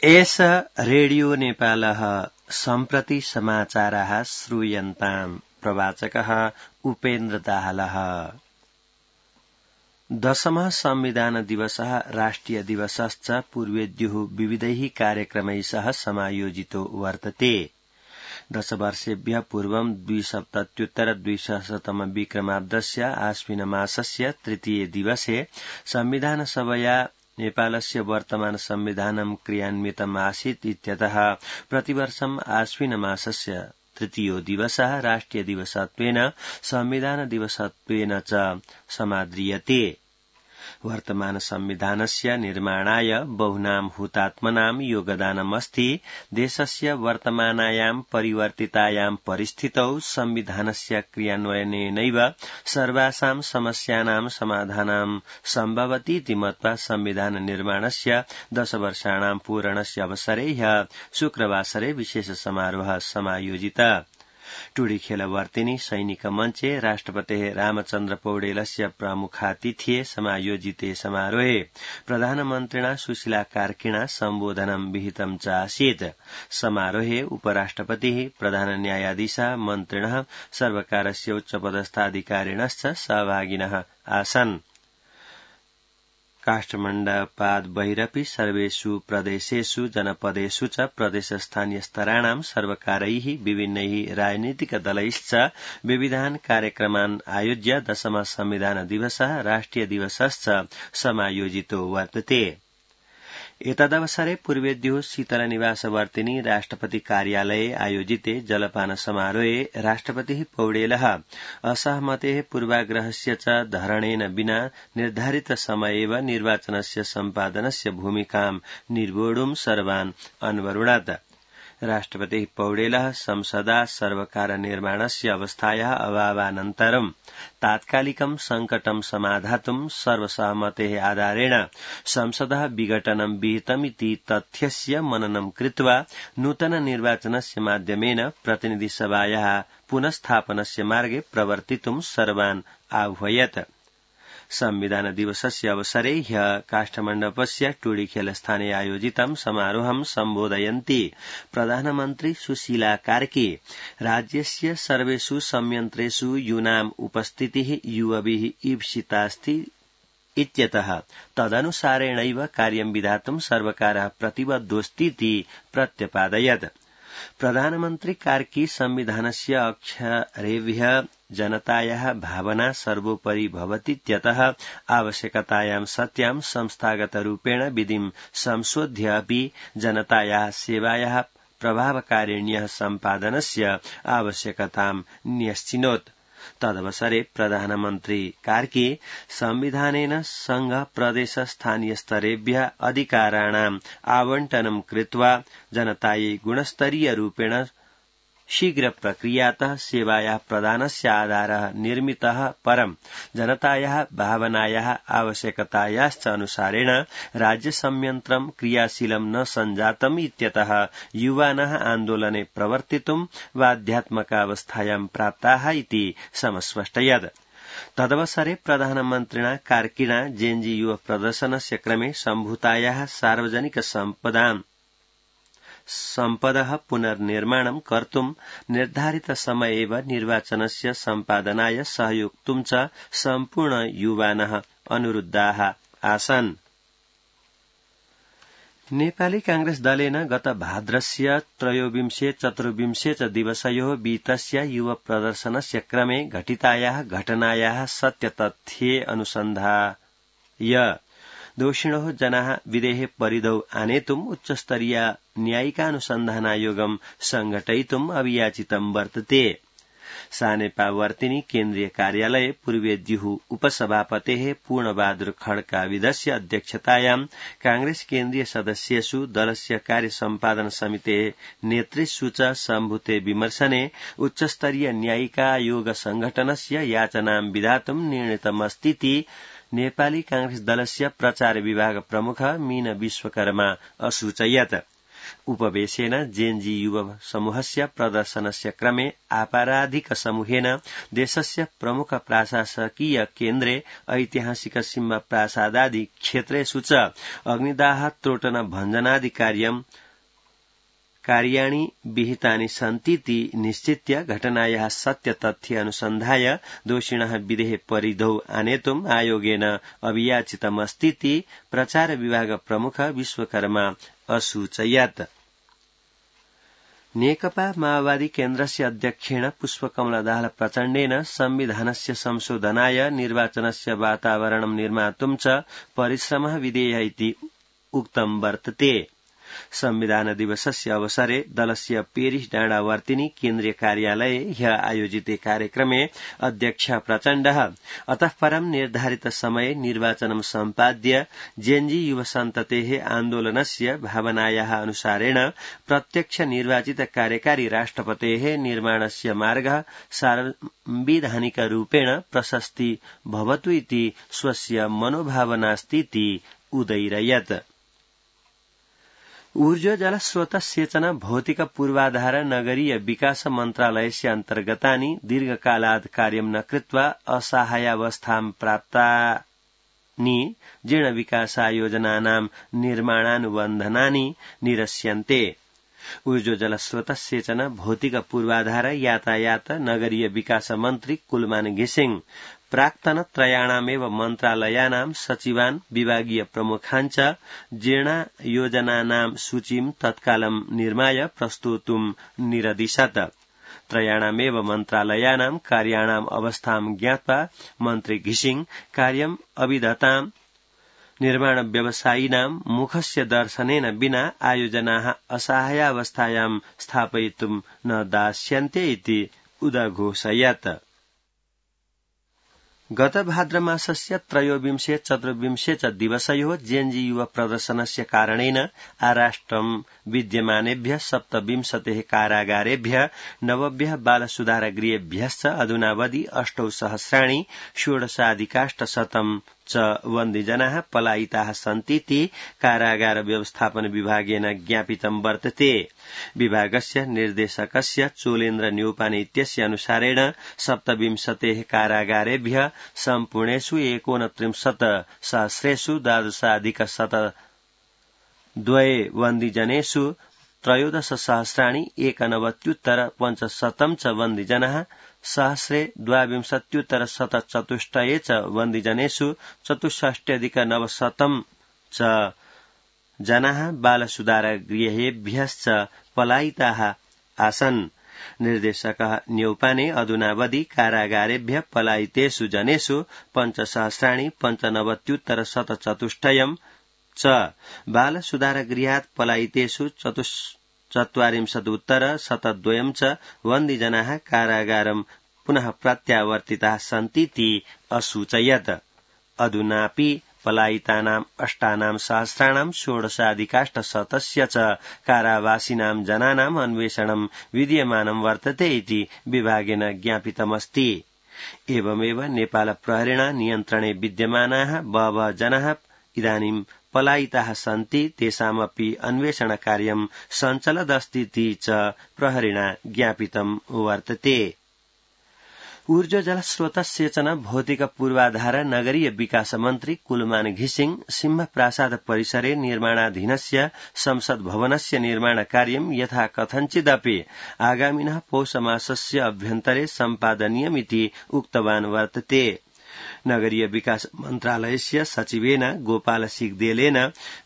एष रेडियो नेपालः सम्प्रति समाचाराः श्रूयन्ताम्। प्रवाचकः उपेन्द्र दाहालः। 10मः संविधान दिवसः राष्ट्रिय दिवसश्च पूर्वेद्युः विविधैः कार्यक्रमैः सह समायोजितो वर्तते। 10 वर्षेभ्यः पूर्वं 2070 विक्रमाब्दस्य आश्विनमासस्य तृतीये दिवसे संविधानसभया नेपालस्य वर्तमान संविधानं क्रियान्वितम् आसीत् इत्यतः प्रतिवर्षम् आश्विनमासस्य तृतीयो दिवसः राष्ट्रिय दिवसत्वेन संविधान दिवसत्वेन च समाद्रियते। वर्तमान संविधानस्य निर्माणाय बहुनां हुतात्मनां योगदानमस्ति। देशस्य वर्तमानायां परिवर्तितायां परिस्थितौ संविधानस्य क्रियान्वयनेनैव सर्वासां समस्यानां समाधानं सम्भवतीति मत्वा संविधान निर्माणस्य 10 वर्षाणां पूरणस्य अवसरे ह्यः शुक्रवासरे विशेष समारोहः समायोजितः। टुडीखेलवर्तिनी सैनिक मञ्चे राष्ट्रपतेः रामचन्द्र पौडेलस्य प्रमुखातिथ्ये समायोजिते समारोहे प्रधानमन्त्रिणा सुशीला कार्किणा सम्बोधनं विहितं च आसीत्। समारोहे उपराष्ट्रपतिः प्रधान न्यायाधीशः मन्त्रिणः सर्वकारस्य उच्चपदस्थाधिकारिणश्च सहभागिनः आसन्। काष्ठमण्डपाद् बहिरपि सर्वेषु प्रदेशेषु जनपदेषु च प्रदेशस्थानीयस्तराणां सर्वकारैः विभिन्नैः राजनीतिकदलैश्च विविधान् कार्यक्रमान् आयोज्य 10मः संविधान दिवसः राष्ट्रिय दिवसश्च समायोजितो वर्तते। एतदवसरे पूर्वेद्युः शीतलनिवासवर्तिनी राष्ट्रपति कार्यालये आयोजिते जलपान समारोहे राष्ट्रपतिः पौडेलः असहमतेः पूर्वाग्रहस्य च धरणेन विना निर्धारित समयेव निर्वाचनस्य सम्पादनस्य भूमिकां निर्वोढुं सर्वान् अन्वरुणत्। राष्ट्रपतिः पौडेलः संसदा सर्वकार निर्माणस्य अवस्थायाः अभावानन्तरं तात्कालिकं संकटं समाधातुं सर्वसहमतेः आधारेण संसदः विघटनं विहितमिति तथ्यस्य मननं कृत्वा नूतन निर्वाचनस्य माध्यमेन प्रतिनिधिसभायाः पुनस्थापनस्य मार्गे प्रवर्तितुं सर्वान् आह्वयत्। संविधान दिवसस्य अवसरे ह्यः काष्ठमण्डपस्य टुडीखेलस्थाने आयोजितं समारोहं सम्बोधयन्ती प्रधानमन्त्री सुशीला कार्की राज्यस्य सर्वेषु संयन्त्रेषु यूनाम् उपस्थितिः युवभिः ईप्सितास्ति इत्यतः तदनुसारेणैव कार्यं विधातुं सर्वकारः प्रतिबद्धोऽस्तीति प्रत्यपादयत्। प्रधानमन्त्री कार्की संविधानस्य अक्षरेभ्यः जनतायाः भावना सर्वोपरि भवतीत्यतः आवश्यकतायां सत्यां संस्थागतरूपेण विधिं संशोध्य अपि जनतायाः सेवायाः प्रभावकारिण्यः सम्पादनस्य आवश्यकतां न्यश्चिनोत्। तदवसरे प्रधानमन्त्री कार्की संविधानेन संघ प्रदेश स्थानीय स्तरेभ्यः अधिकाराणाम् आवंटनं कृत्वा जनतायै गुणस्तरीय रूपेण शीघ्र प्रक्रियातः सेवायाः प्रदानस्य आधारः निर्मितः परं जनतायाः भावनायाः आवश्यकतायाश्च अनुसारेण राज्यसंयन्त्रं क्रियाशीलं न सञ्जातम् इत्यतः युवानः आन्दोलने प्रवर्तितुं बाध्यात्मकावस्थायां प्राप्ताः इति समस्पष्टयत्। तदवसरे प्रधानमन्त्रिणा कार्किणा जेएनजी युव प्रदर्शनस्य क्रमे सम्भूतायाः सार्वजनिक सम्पदः पुनर्निर्माणं कर्तुं निर्धारित समये एव निर्वाचनस्य सम्पादनाय सहयोक्तुं च सम्पूर्ण युवानः अनुरुद्धाः आसन्। नेपाली कांग्रेस दलेन गत भाद्रस्य 23-24 च दिवसयोः विहितस्य युव प्रदर्शनस्य क्रमे घटितायाः घटनायाः सत्यतथ्ये अनुसन्धाय दोषिणोः जनाः विदेहे परिधौ आनेतुम् उच्चस्तरीय न्यायिकानुसन्धानायोगं संघटयितुम् अभियाचितं वर्तते। सानेपावर्तिनी केन्द्रीय कार्यालये पूर्वेद्युः उपसभापतेः पूर्णबहादुर खड्काविदस्य अध्यक्षतायां कांग्रेस केन्द्रीय सदस्येषु दलस्य कार्यसम्पादन समितेः नेतृत्वेषु च सम्भूते विमर्शने उच्चस्तरीय न्यायिकायोग संघटनस्य याचनां विधातुं निर्णीतमस्तीति नेपाली कांग्रेस दलस्य प्रचार विभाग प्रमुख मीन विश्वकर्मा असूचयत्। उपवेशेन जेएनजी युव समूहस्य प्रदर्शनस्य क्रमे आपराधिक समूहेन देशस्य प्रमुख प्रशासकीय केन्द्रे ऐतिहासिक सिंह प्रासादादि क्षेत्रेषु च अग्निदाह त्रोटन भञ्जनादि कार्याणि विहितानि सन्तीति निश्चित्य घटनायाः सत्यतथ्य अनुसन्धाय दोषिणः विदेह परिधौ आनेतुम् आयोगेन अभियाचितमस्तीति प्रचार विभाग प्रमुख विश्वकर्मा असूचयत्। नेकपा माओवादी केन्द्रस्य अध्यक्षेण पुष्पकमल दाहाल प्रचण्डेन संविधानस्य संशोधनाय निर्वाचनस्य वातावरणं निर्मातुं च परिश्रमः विधेयः इति उक्तं वर्तते। संविधान दिवसस्य अवसरे दलस्य पेरिस डाँडावर्तिनी केन्द्रीय कार्यालये ह्यः आयोजिते कार्यक्रमे अध्यक्ष प्रचण्डः अतः परं निर्धारित समये निर्वाचनं सम्पाद्य जेएनजी युवसन्ततेः आन्दोलनस्य भावनायाः अनुसारेण प्रत्यक्ष निर्वाचित कार्यकारी राष्ट्रपतेः निर्माणस्य मार्गः सांविधानिकरूपेण प्रशस्ति भवतु इति स्वस्य मनोभावनास्तीति उदैरयत्। ऊर्जा जल स्रोत सेचन भौतिक पूर्वाधार नगरीय विकास मन्त्रालयस्य अन्तर्गतानि दीर्घकालात् कार्यं न कृत्वा असहायावस्थां प्राप्तानि जीर्ण विकासायोजनानां निर्माणानुबन्धनानि निरस्यन्ते। ऊर्जा जल स्रोत सेचन भौतिक पूर्वाधार यातायात नगरीय विकास मन्त्री कुलमान घिसिङ प्राक्तन त्रयाणामेव मन्त्रालयानां सचिवान् विभागीय प्रमुखाञ्च जीर्णयोजनानां सूचीं तत्कालं निर्माय प्रस्तोतुं निरदिशत्। त्रयाणामेव मन्त्रालयानां कार्याणाम् अवस्थां ज्ञात्वा मन्त्री घिसिङ कार्यम् अविधतां निर्माण व्यवसायिनां मुखस्य दर्शनेन विना आयोजनाः असहायावस्थायां स्थापयितुं न दास्यन्ते इति उदघोषयत्। गत भाद्रमासस्य 13-14 च दिवसयोः जेएनजी युव प्रदर्शनस्य कारणेन आराष्ट्रं विद्यमानेभ्यः 27 कारागारेभ्यः 90 बालसुधारगृहेभ्यश्च अधुनावधि 8 सहस्राणि 16,800 च बन्दिजनाः पलायिताः सन्तीति कारागार व्यवस्थापन विभागेन ज्ञापितं वर्तते। विभागस्य निर्देशकस्य चोलेन्द्र न्यौपाने इत्यस्य अनुसारेण 27 कारागारेभ्यः सम्पूर्णेषु 29 सहस्रेषु 12,102 बन्दिजनेषु 13,000 91,500 च बन्दिजनाः सहस्रे 22,104 च बन्दिजनेषु 64,900 च जनाः बालसुधारगृहेभ्यश्च पलायिताः आसन्। निर्देशकः न्यौपाने अधुनावधि कारागारेभ्यः पलायितेषु जनेषु 5,95,104 च बालसुधारगृहात् पलायितेषु 44,102 च बन्दिजनाः कारागारं पुनः प्रत्यावर्तिताः सन्तीति असूचयत्। अधुनापि पलायितानाम् 8 सहस्राणां 16,800 च कारावासिनां जनानाम् अन्वेषणं विद्यमानं वर्तते इति विभागेन ज्ञापितमस्ति। एवमेव नेपाल प्रहरेण नियन्त्रणे विद्यमानाः बहवः जनाः इदानीं पलायिताः सन्ति तेषामपि अन्वेषणकार्यं सञ्चलदस्तीति च प्रहरेण ज्ञापितं वर्तते। ऊर्जा जल स्रोत सेचन भौतिक पूर्वाधार नगरीय विकास मन्त्री कुलमान घिसिङ सिंह प्रासाद परिसरे निर्माणाधीनस्य संसद भवनस्य निर्माण कार्यं यथा कथञ्चिदपि आगामिनः पौषमासस्य अभ्यन्तरे सम्पादनीयमिति उक्तवान् वर्तते। नगरीय विकास मन्त्रालयस्य सचिवेन गोपाल सिगदेलेन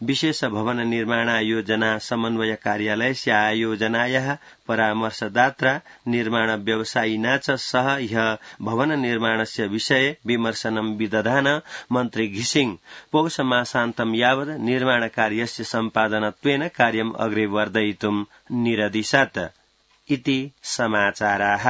विशेष भवन निर्माणायोजना समन्वय कार्यालयस्य आयोजनायाः परामर्शदात्रा निर्माण व्यवसायिना च सह ह्यः भवन निर्माणस्य विषये विमर्शनं विदधान मन्त्री घिसिङ पौषमासान्तं यावत् निर्माण कार्यस्य सम्पादनत्वेन कार्यम् अग्रे वर्धयितुं निरदिशत् इति समाचाराः।